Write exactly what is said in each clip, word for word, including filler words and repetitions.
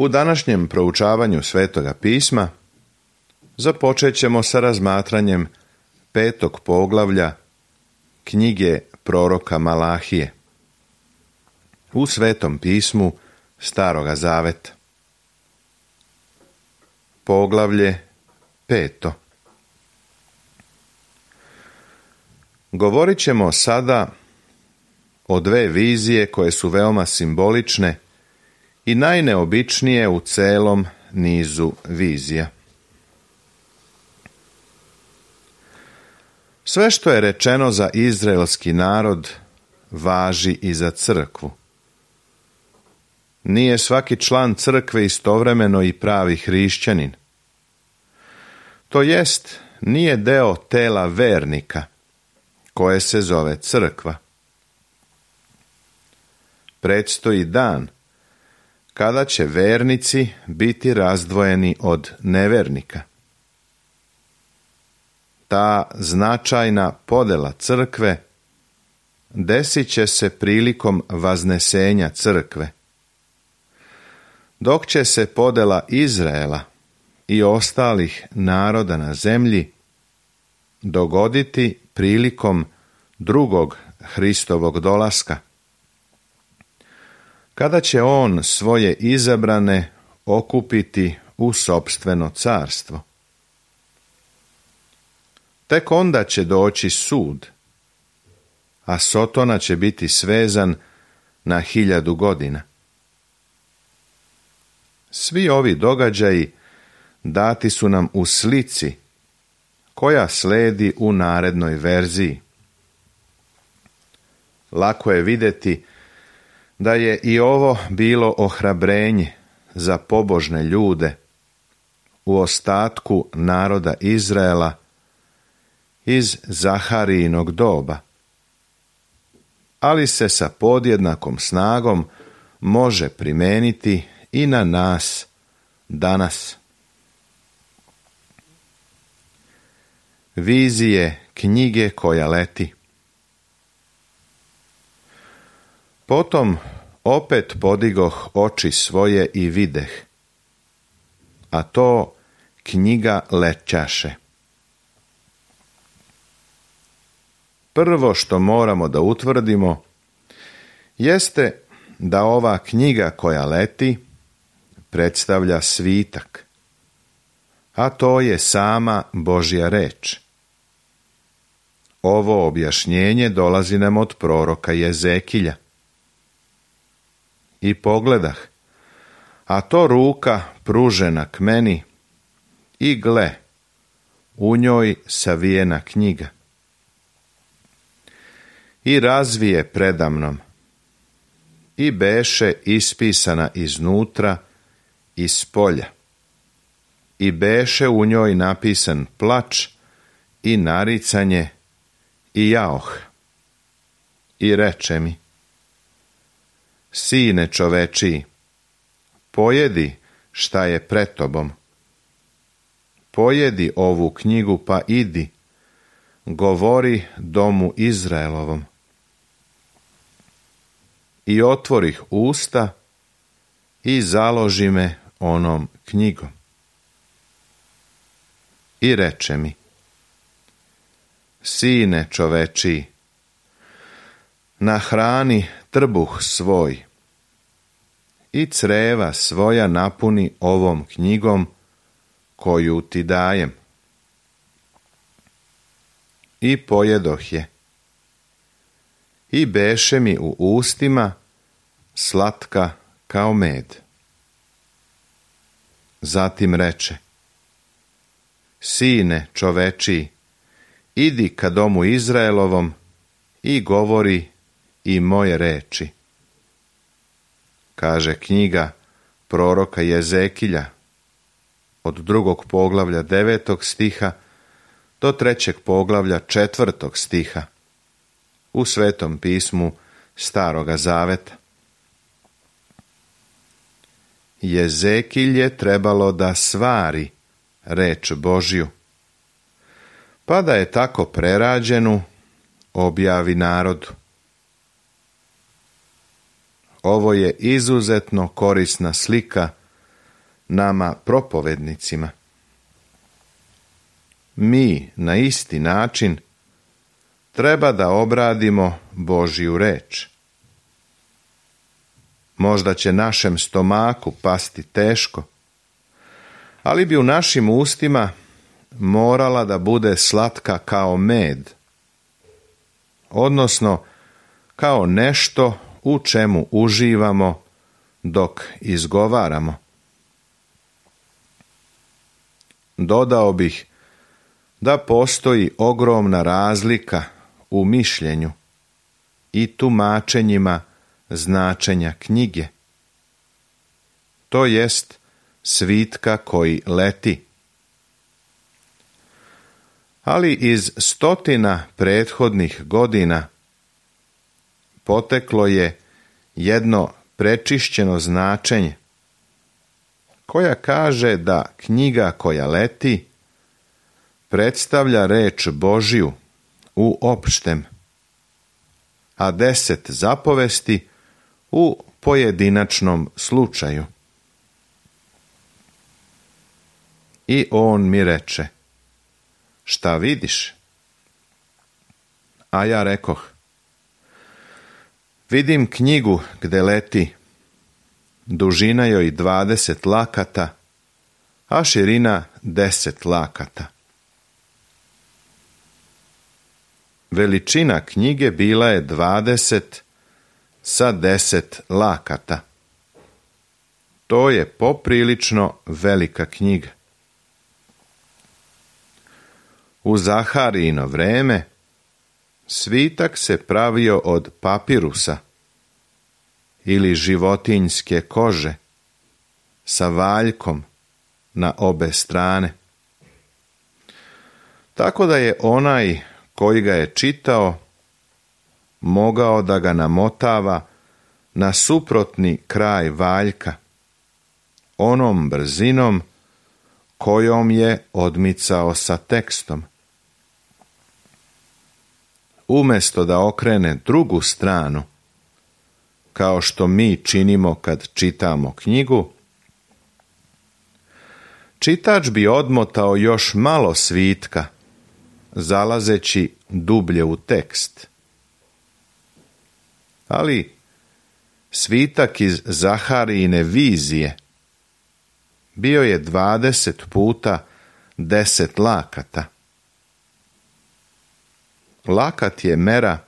U današnjem proučavanju Svetoga pisma započet ćemo sa razmatranjem petog poglavlja knjige proroka Malahije u Svetom pismu Staroga zaveta. Poglavlje peto. Govorit ćemo sada o dve vizije koje su veoma simbolične i najneobičnije u celom nizu vizija. Sve što je rečeno za izraelski narod važi i za crkvu. Nije svaki član crkve istovremeno i pravi hrišćanin. To jest, nije deo tela vernika, koje se zove crkva. Predstoji dan kada će vernici biti razdvojeni od nevernika. Ta značajna podela crkve desit će se prilikom vaznesenja crkve, dok će se podela Izraela i ostalih naroda na zemlji dogoditi prilikom drugog Hristovog dolaska, kada će on svoje izabrane okupiti u sopstveno carstvo. Tek onda će doći sud, a Sotona će biti svezan na hiljadu godina. Svi ovi događaji dati su nam u slici koja sledi u narednoj verziji. Lako je vidjeti da je i ovo bilo ohrabrenje za pobožne ljude u ostatku naroda Izraela iz Zaharijinog doba, ali se sa podjednakom snagom može primijeniti i na nas danas. Vizije knjige koja leti. Potom opet podigoh oči svoje i videh, a to knjiga lećaše. Prvo što moramo da utvrdimo jeste da ova knjiga koja leti predstavlja svitak, a to je sama Božja reč. Ovo objašnjenje dolazi nam od proroka Jezekilja. I pogledah, a to ruka pružena k meni, i gle, u njoj savijena knjiga. I razvije predamnom, i beše ispisana iznutra i spolja, i beše u njoj napisan plač i naricanje i jaoh. I reče mi: Sine čovečiji, pojedi šta je pred tobom. Pojedi ovu knjigu pa idi, govori domu Izraelovom. I otvorih usta i založi me onom knjigom. I reče mi: Sine čovečiji, nahrani trbuh svoj i creva svoja napuni ovom knjigom koju ti dajem. I pojedoh je. I beše mi u ustima slatka kao med. Zatim reče: Sine čovečiji, idi ka domu Izraelovom i govori i moje reči. Kaže knjiga proroka Jezekilja od drugog poglavlja devetog stiha do trećeg poglavlja četvrtog stiha u Svetom pismu Staroga zaveta. Jezekilj je trebalo da svari reč Božju, pa da je tako prerađenu objavi narodu. Ovo je izuzetno korisna slika nama propovednicima. Mi na isti način treba da obradimo Božju reč. Možda će našem stomaku pasti teško, ali bi u našim ustima morala da bude slatka kao med, odnosno kao nešto u čemu uživamo dok izgovaramo. Dodao bih da postoji ogromna razlika u mišljenju i tumačenjima značenja knjige. To jest svitka koji leti. Ali iz stotina prethodnih godina poteklo je jedno prečišćeno značenje koja kaže da knjiga koja leti predstavlja reč Božju u opštem, a deset zapovesti u pojedinačnom slučaju. I on mi reče: šta vidiš? A ja rekoh: vidim knjigu gde leti, dužina joj dvadeset lakata, a širina deset lakata. Veličina knjige bila je dvadeset sa deset lakata. To je poprilično velika knjiga. U Zaharijino vreme svitak se pravio od papirusa ili životinjske kože sa valjkom na obe strane. Tako da je onaj koji ga je čitao mogao da ga namotava na suprotni kraj valjka, onom brzinom kojom je odmicao sa tekstom. Umesto da okrene drugu stranu, kao što mi činimo kad čitamo knjigu, čitač bi odmotao još malo svitka, zalazeći dublje u tekst. Ali svitak iz Zaharijine vizije bio je dvadeset puta deset lakata. Lakat je mera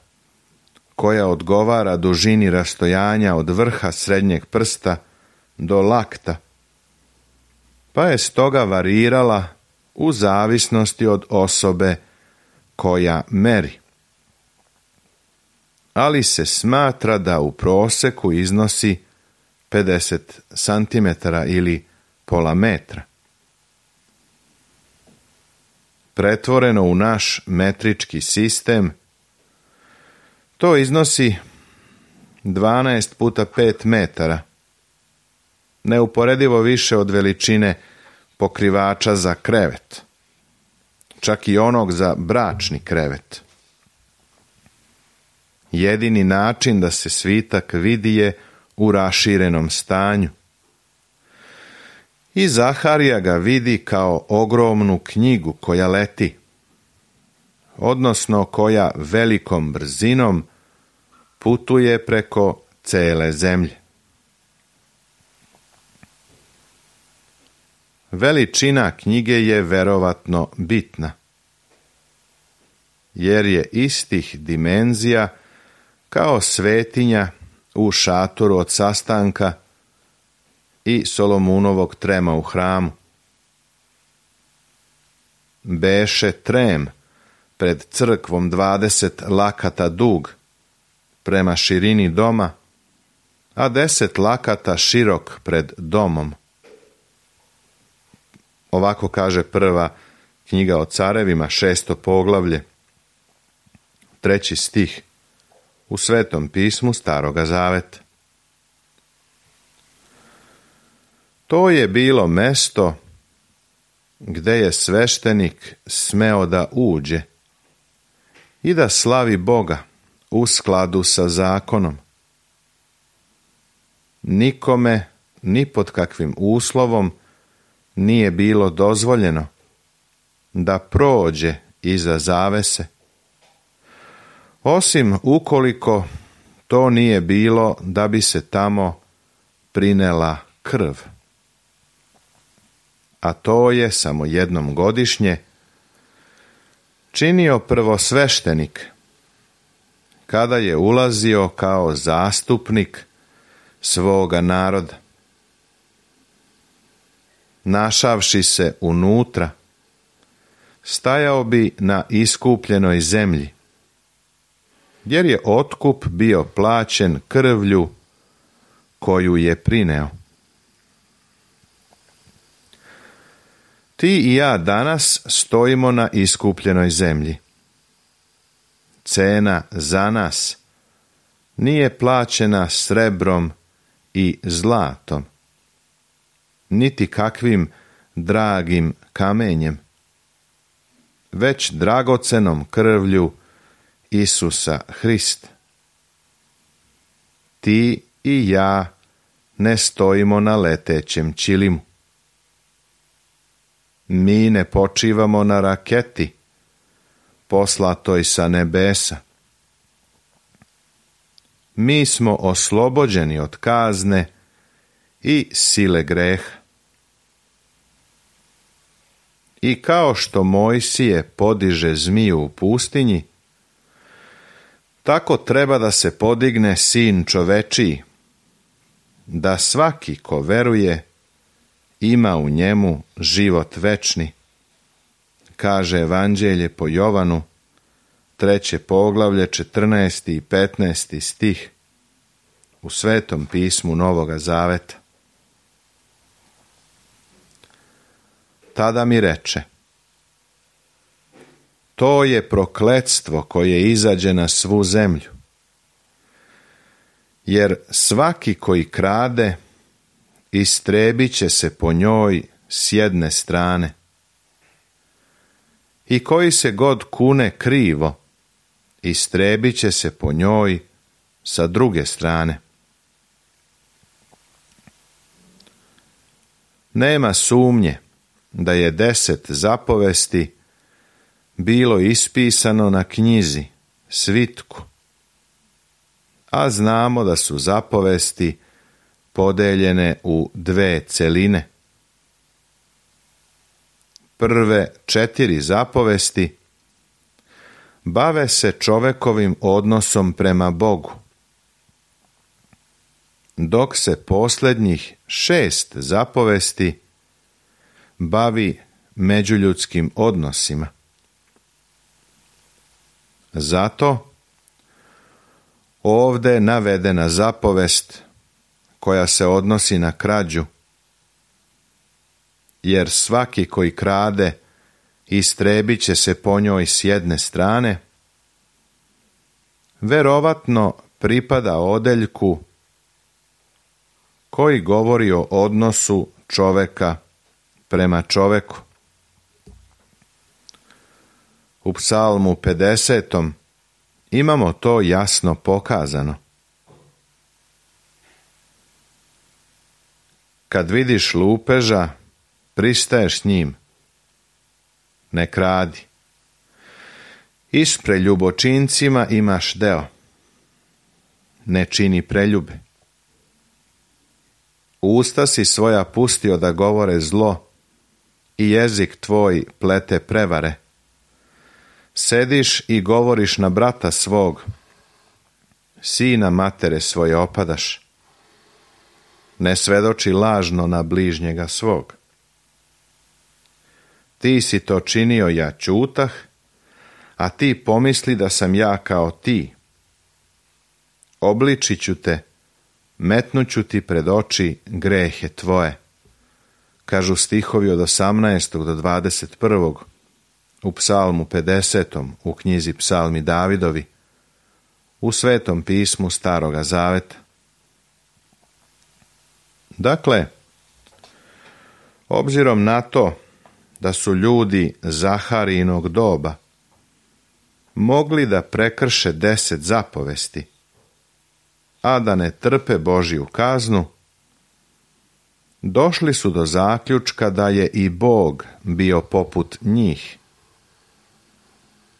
koja odgovara dužini rastojanja od vrha srednjeg prsta do lakta, pa je stoga varirala u zavisnosti od osobe koja meri. Ali se smatra da u proseku iznosi pedeset santimetara ili pola metra. Pretvoreno u naš metrički sistem, to iznosi dvanaest puta pet metara, neuporedivo više od veličine pokrivača za krevet, čak i onog za bračni krevet. Jedini način da se svitak vidi je u raširenom stanju. I Zaharija ga vidi kao ogromnu knjigu koja leti, odnosno koja velikom brzinom putuje preko cele zemlje. Veličina knjige je verovatno bitna, jer je istih dimenzija kao svetinja u šatoru od sastanka i Solomunovog trema u hramu. Beše trem pred crkvom dvadeset lakata dug prema širini doma, a deset lakata širok pred domom. Ovako kaže prva knjiga o carevima, šesto poglavlje, treći stih u Svetom pismu Staroga zaveta. To je bilo mesto gde je sveštenik smeo da uđe i da slavi Boga u skladu sa zakonom. Nikome, ni pod kakvim uslovom, nije bilo dozvoljeno da prođe iza zavese, osim ukoliko to nije bilo da bi se tamo prinela krv. A to je samo jednom godišnje činio prvosveštenik, kada je ulazio kao zastupnik svoga naroda. Našavši se unutra, stajao bi na iskupljenoj zemlji, jer je otkup bio plaćen krvlju koju je prineo. Ti i ja danas stojimo na iskupljenoj zemlji. Cena za nas nije plaćena srebrom i zlatom, niti kakvim dragim kamenjem, već dragocenom krvlju Isusa Hrista. Ti i ja ne stojimo na letećem ćilimu. Mi ne počivamo na raketi poslatoj sa nebesa. Mi smo oslobođeni od kazne i sile greha. I kao što Mojsije podiže zmiju u pustinji, tako treba da se podigne Sin čovečiji, da svaki ko veruje ima u njemu život večni, kaže Evanđelje po Jovanu, treće poglavlje, četrnaesti i petnaesti stih u Svetom pismu Novoga Zaveta. Tada mi reče: to je prokletstvo koje izađe na svu zemlju, jer svaki koji krade, istrebit će se po njoj s jedne strane, i koji se god kune krivo, istrebit će se po njoj sa druge strane. Nema sumnje da je deset zapovesti bilo ispisano na knjizi, svitku, a znamo da su zapovesti podeljene u dve celine. Prve četiri zapovesti bave se čovekovim odnosom prema Bogu, dok se posljednjih šest zapovesti bavi međuljudskim odnosima. Zato ovdje navedena zapovest koja se odnosi na krađu, jer svaki koji krade istrebit će se po njoj s jedne strane, verovatno pripada odeljku koji govori o odnosu čoveka prema čoveku. U Psalmu pedesetom imamo to jasno pokazano. Kad vidiš lupeža, pristaješ s njim. Ne kradi. I s preljubočincima imaš deo. Ne čini preljube. Usta si svoja pustio da govore zlo i jezik tvoj plete prevare. Sediš i govoriš na brata svog, sina matere svoje opadaš. Ne svedoči lažno na bližnjega svog. Ti si to činio, ja ćutah, a ti pomisli da sam ja kao ti. Obličit ću te, metnuću ti pred oči grehe tvoje, kažu stihovi od osamnaestog do dvadeset prvog u Psalmu pedesetom, u knjizi Psalmi Davidovi, u Svetom pismu Staroga Zaveta. Dakle, obzirom na to da su ljudi Zaharijinog doba mogli da prekrše deset zapovesti, a da ne trpe Božju kaznu, došli su do zaključka da je i Bog bio poput njih,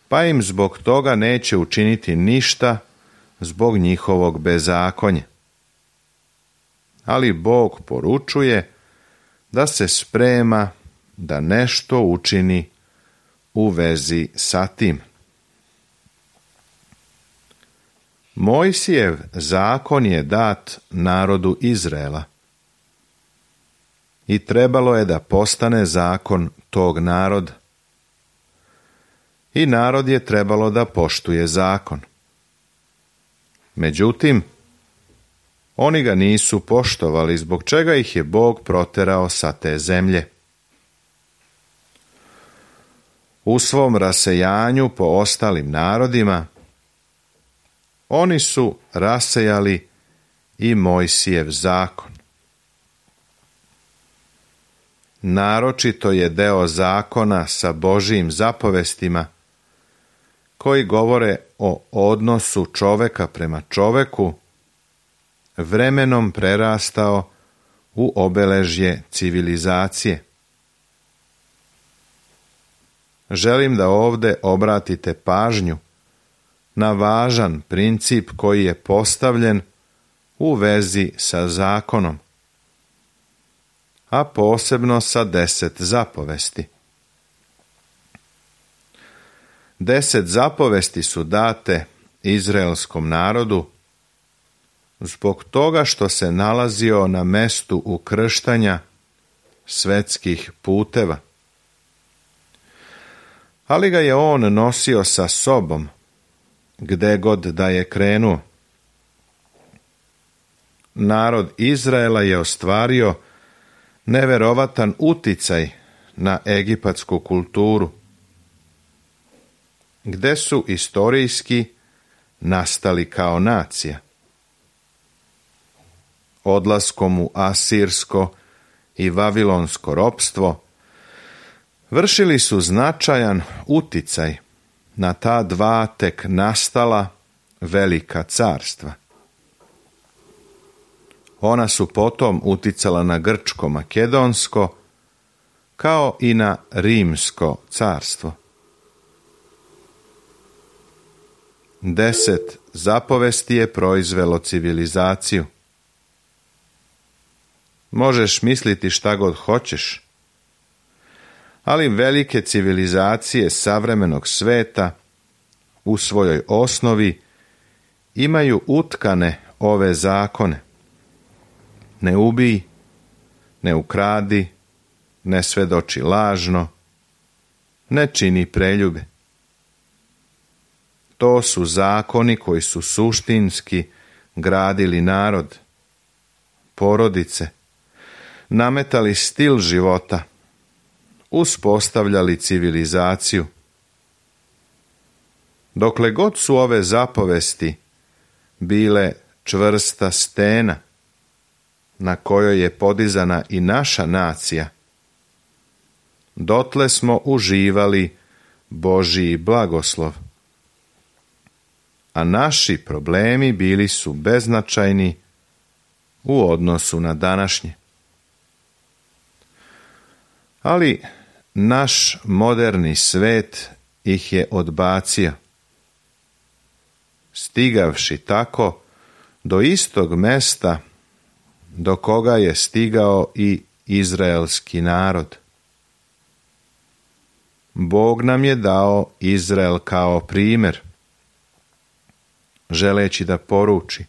pa im zbog toga neće učiniti ništa zbog njihovog bezakonja. Ali Bog poručuje da se sprema da nešto učini u vezi sa tim. Mojsijev zakon je dat narodu Izraela i trebalo je da postane zakon tog naroda. I narod je trebalo da poštuje zakon. Međutim, oni ga nisu poštovali, zbog čega ih je Bog proterao sa te zemlje. U svom rasejanju po ostalim narodima, oni su rasejali i Mojsijev zakon. Naročito je deo zakona sa Božijim zapovestima koji govore o odnosu čoveka prema čoveku vremenom prerastao u obeležje civilizacije. Želim da ovde obratite pažnju na važan princip koji je postavljen u vezi sa zakonom, a posebno sa deset zapovesti. Deset zapovesti su date izraelskom narodu zbog toga što se nalazio na mestu ukrštanja svetskih puteva. Ali ga je on nosio sa sobom, gde god da je krenuo. Narod Izraela je ostvario neverovatan uticaj na egipatsku kulturu, gde su istorijski nastali kao nacija. Odlaskom u asirsko i vavilonsko ropstvo vršili su značajan uticaj na ta dva tek nastala velika carstva. Ona su potom uticala na grčko-makedonsko kao i na rimsko carstvo. Deset zapovesti je proizvelo civilizaciju. Možeš misliti šta god hoćeš, ali velike civilizacije savremenog sveta u svojoj osnovi imaju utkane ove zakone. Ne ubij, ne ukradi, ne svedoči lažno, ne čini preljube. To su zakoni koji su suštinski gradili narod, porodice, nametali stil života, uspostavljali civilizaciju. Dokle god su ove zapovesti bile čvrsta stena na kojoj je podizana i naša nacija, dotle smo uživali Božji blagoslov, a naši problemi bili su beznačajni u odnosu na današnje. Ali naš moderni svet ih je odbacio, stigavši tako do istog mesta do koga je stigao i izraelski narod. Bog nam je dao Izrael kao primjer, želeći da poruči: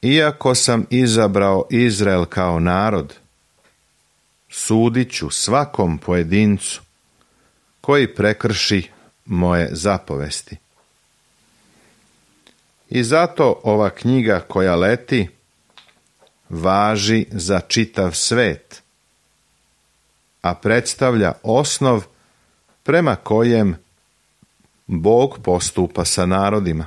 iako sam izabrao Izrael kao narod, sudit ću svakom pojedincu koji prekrši moje zapovesti. I zato ova knjiga koja leti važi za čitav svet, a predstavlja osnov prema kojem Bog postupa sa narodima.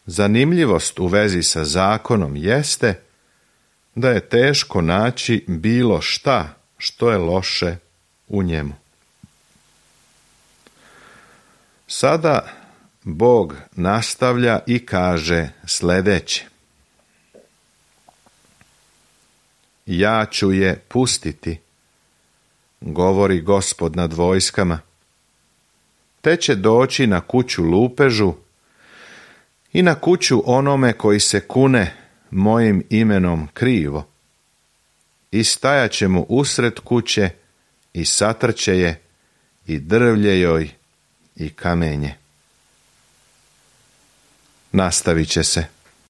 Zanimljivost u vezi sa zakonom jeste da je teško naći bilo šta što je loše u njemu. Sada Bog nastavlja i kaže sljedeće: ja ću je pustiti, govori Gospod nad vojskama. Te će doći na kuću lupežu i na kuću onome koji se kune mojim imenom krivo. I stajat će mu usred kuće i satrće je i drvlje joj i kamenje. Nastavit će se.